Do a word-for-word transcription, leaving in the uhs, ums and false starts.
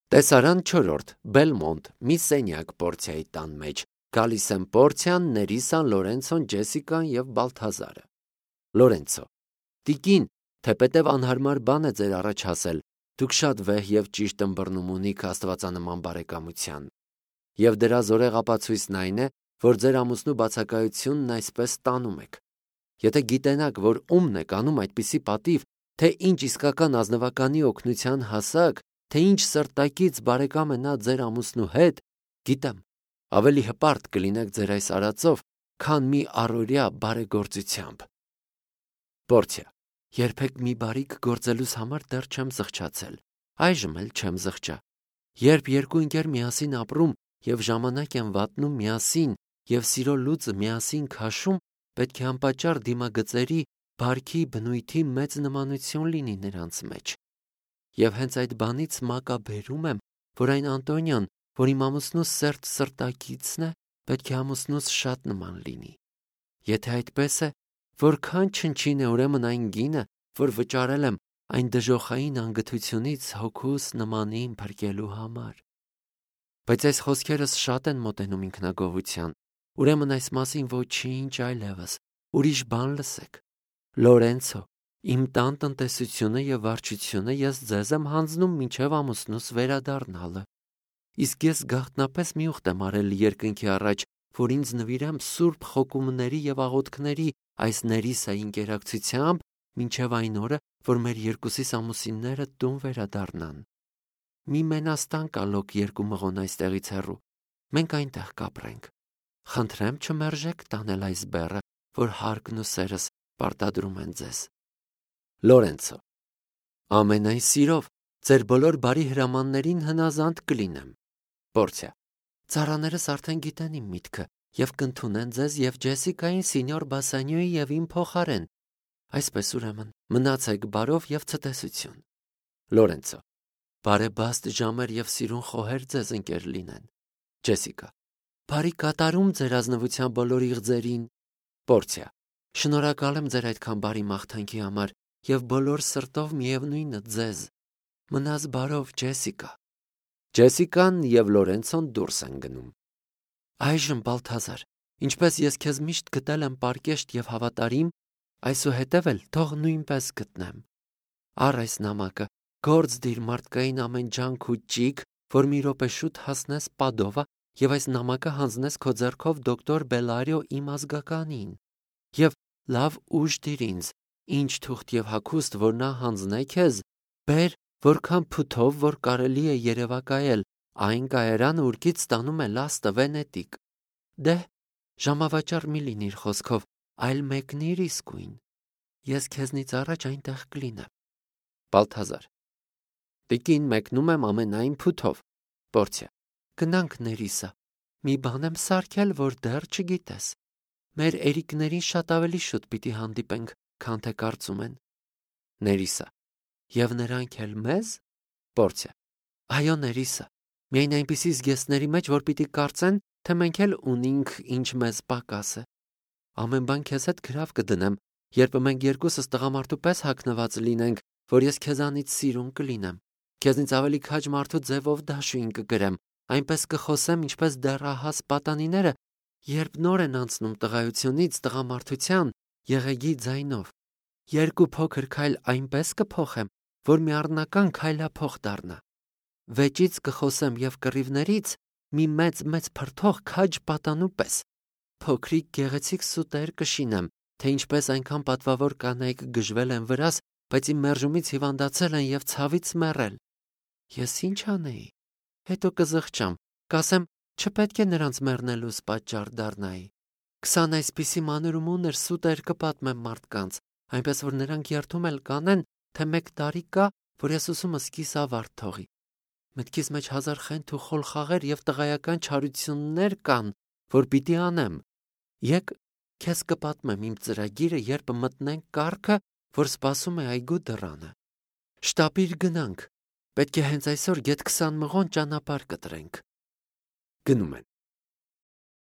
Տեսարան չորրորդ Բելմոնտ մի սենյակ Պորցիայի տան մեջ գալիս են Պորցիան, Ներիսան, Լորենցոն, Ջեսիկան եւ Բալթազարը։ Լորենցո. Տիկին, թեպետև անհարմար բան է ձեր առաջ հասել, դուք շատ վեհ եւ ճիշտ ըմբռնում ունիք աստվածանման բարեկամության։ Եվ դրա զորեղ ապացույցն այն է, որ ձեր ամուսնու բացակայությունն այսպես տանում եք։ Եթե գիտենաք, որ ումն եք անում այդպիսի պատիվ, թե ինչ իսկական ազնվականի օգնության հասակ, թե ինչ սրտակից բարեկամ է նա ձեր ամուսնու հետ, գիտեմ, ավելի հպարտ կլինեք ձեր այս արածով, քան մի առօրյա բարեգործությամբ։ Պորցիա. Երբեք մի բարիք գործելուց համար դեռ չեմ զղջացել, այժմ էլ չեմ զղջա։ Երբ երկու ընկեր միասին ապրում եւ ժամանակ են վատնում միասին եւ սիրո լուծը միասին քաշում, պետք է անպատճառ դիմագծերի, բարքի, բնույթի մեծ նմանություն լինի նրանց մեջ։ Եվ հենց այդ բանից մակաբերում եմ, որ այն Անտոնիան, որ իմ ամուսնուս սերտ սրտակիցն է, պետք է ամուսնուս շատ նման լինի։ Եթե այդպես է, որքան չնչին է ուրեմն այն գինը, որ վճարել եմ այն դժոխային անգթությունից հոգուս նմանին փրկելու համար։ Բայց այս խոսքերս շատ են մոտենում ինքնագովության, ուրեմն այս մասին ոչինչ այլևս, ուրիշ բան լսեք։ Լորենցո, իմ տան տնտեսությունը եւ վարչությունը ես ձեզ եմ հանձնում մինչեւ ամուսնուս վերադառնալը։ Իսկ ես գաղտնապես մի ուխտ եմ արել երկնքի առաջ, որ ինձ նվիրեմ սուրբ խոկումների եւ աղոթքների այս Ներիսայի ինկերակցությամբ մինչեւ այն օրը, որ մեր երկուսիս ամուսինները տուն վերադառնան։ Մի մենաստան կա լոկ երկու մղոն այստեղից հեռու։ Մենք այնտեղ կապրենք։ Խնդրեմ չմերժեք տանել այս բեռը, որ հարկն ու սերս պարտադրում են ձեզ։ Լորենցո. Ամենայն սիրով, ձեր բոլոր բարի հրամաններին հնազանդ կլինեմ։ Պորցիա. Ծառաներս արդեն գիտեն իմ միտքը եւ կընդունեն ձեզ եւ Ջեսիկային սինյոր Բասանյոյի եւ իմ փոխարեն։ Այսպես ուրեմն, մնացեք բարով եւ ցտեսություն։ Լորենցո. Բարեբաստ ժամեր եւ սիրուն խոհեր ձեզ ընկեր լինեն։ Ջեսիկա. Բարի կատարում ձեր ազնվության բոլոր իղձերին։ Պորցիա. Շնորհակալ եմ ձեր այդքան բարի մաղթանքի համար եւ բոլոր սրտով միևնույնը ձեզ։ Մնաս բարով, Ջեսիկա։ Ջեսիկան եւ Լորենցոն դուրս են գնում։ Այժմ Բալթազար, ինչպես ես քեզ միշտ գտել եմ պարկեշտ եւ հավատարիմ, այսուհետև էլ թող նույնպես գտնեմ։ Առ այս նամակը, գործ դիր մարդկային ամեն ջանք ու ճիգ, որ մի րոպե շուտ հասնես Պադովա եւ այս նամակը հանձնես քո ձեռքով դոկտոր Բելարիո իմ ազգականին։ Եվ լավ ուժ դիր ինձ, ինչ թուղթ եւ հագուստ, որ նա հանձնե քեզ, բեր, որքան փութով, որ կարելի է երևակայել, այն կայարանը ուրկից ստանում է լաստը Վենետիկ։ Դե, ժամավաճառ մի լինիր խոսքով, այլ մեկնիր իսկույն։ Ես քեզնից առաջ այնտեղ կլինեմ։ Բալթազար. Տիկին, մեկնում եմ ամենայն փութով։ Պորցիա. Գնանք Ներիսա։ Մի բան եմ սարքել, որ դեռ չգիտես։ Մեր երիկներին շատ ավելի շուտ պիտի հանդիպենք, քան թե կարծում են։ Ներիսա. Եվ նրանք էլ մեզ։ Պորցիա. Այո, Ներիսա, միայն այնպիսի զգեստների մեջ, որ պիտի կարծեն, թե մենք էլ ունենք ինչ մեզ պակաս է։ Ամեն բան քեզ հետ գրավ կդնեմ, երբ մենք երկուսս տղամարդու պես հագնված լինենք, որ ես քեզանից սիրուն կլինեմ։ Քեզնից ավելի քաջ մարդու ձևով դաշույն կգրեմ, այնպես կխոսեմ, ինչպես դեռահաս պատանիները, երբ նոր են անցնում տղայությունից տղամարդության եղեգի ձայնով։ Երկու փոքր քայլ այնպես կփոխեմ, որ մի առնական քայլափոխ դառնա։ Վեճից կխոսեմ եւ կռիվներից մի մեծ-մեծ փրթող քաջ պատանու պես։ Փոքրիկ գեղեցիկ սուտեր կշինեմ, թե ինչպես այնքան պատվավոր կանայք գժվել են վրաս, բայց իմ մերժումից հիվանդացել են եւ ցավից մեռել։ Ես ինչ անեի։ Հետո կզղջամ, կասեմ, չպետք է նրանց մեռնելուց պատճառ դառնայի։ Քսան այսպիսի մանր ու մունր սուտեր կպատմեմ մարդկանց, այնպես որ նրանք երթում էլ կանեն, թե մեկ տարի կա, որ ես ուսումս կիսավարտ թողի։ Մտքիս մեջ հազար խենթ ու խոլ խաղեր եւ տղայական չարություններ կան, որ պիտի անեմ։ Եկ քեզ կպատմեմ իմ ծրագիրը, երբ մտնենք կառքը, որ սպասում է այգու դռանը։ Շտապիր գնանք։ Պետք է հենց այսօր գեթ քսան մղոն ճանապարհ կտրենք։ Գնում են։